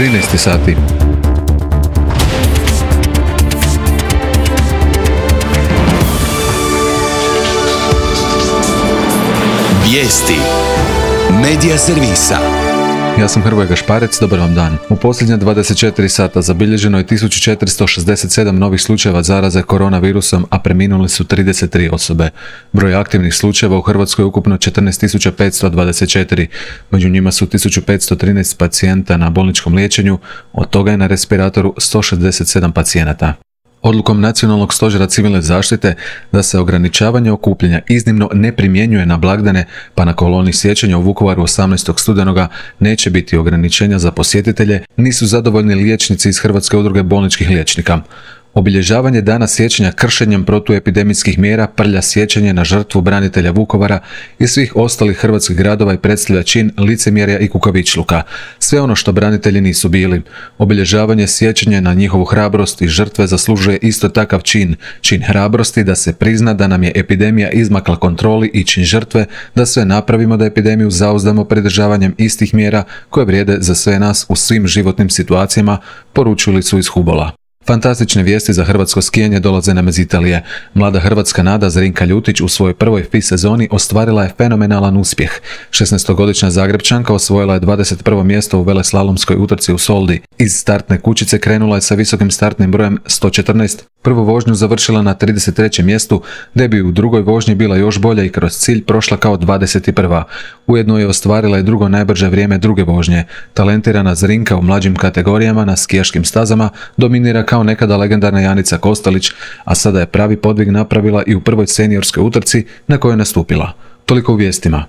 13 sati. Vijesti Medija servisa. Ja sam Hrvoje Gašparec, dobar vam dan. U posljednja 24 sata zabilježeno je 1467 novih slučajeva zaraze koronavirusom, a preminuli su 33 osobe. Broj aktivnih slučajeva u Hrvatskoj je ukupno 14.524. Među njima su 1513 pacijenta na bolničkom liječenju, od toga je na respiratoru 167 pacijenata. Odlukom Nacionalnog stožera civilne zaštite da se ograničavanje okupljanja iznimno ne primjenjuje na blagdane, pa na koloni sjećanja u Vukovaru 18. studenoga neće biti ograničenja za posjetitelje, nisu zadovoljni liječnici iz Hrvatske udruge bolničkih liječnika. Obilježavanje dana sjećanja kršenjem protuepidemijskih mjera prlja sjećanje na žrtvu branitelja Vukovara i svih ostalih hrvatskih gradova i predstavlja čin licemjerja i kukavičluka. Sve ono što branitelji nisu bili. Obilježavanje sjećanja na njihovu hrabrost i žrtve zaslužuje isto takav čin hrabrosti da se prizna da nam je epidemija izmakla kontroli i čin žrtve da sve napravimo da epidemiju zauzdamo pridržavanjem istih mjera koje vrijede za sve nas u svim životnim situacijama, poručili su iz Hubola. Fantastične vijesti za hrvatsko skijanje dolaze nam iz Italije. Mlada hrvatska nada Zrinka Ljutić u svojoj prvoj FI sezoni ostvarila je fenomenalan uspjeh. 16-godišnja Zagrepčanka osvojila je 21. mjesto u veleslalomskoj utrci u Soldi. Iz startne kućice krenula je sa visokim startnim brojem 114. Prvu vožnju završila na 33. mjestu, da bi u drugoj vožnji bila još bolja i kroz cilj prošla kao 21. Ujedno je ostvarila i drugo najbrže vrijeme druge vožnje. Talentirana Zrinka u mlađim kategorijama na skijaškim stazama dominira kao nekada legendarna Janica Kostelić, a sada je pravi podvig napravila i u prvoj seniorskoj utrci na kojoj je nastupila. Toliko u vijestima.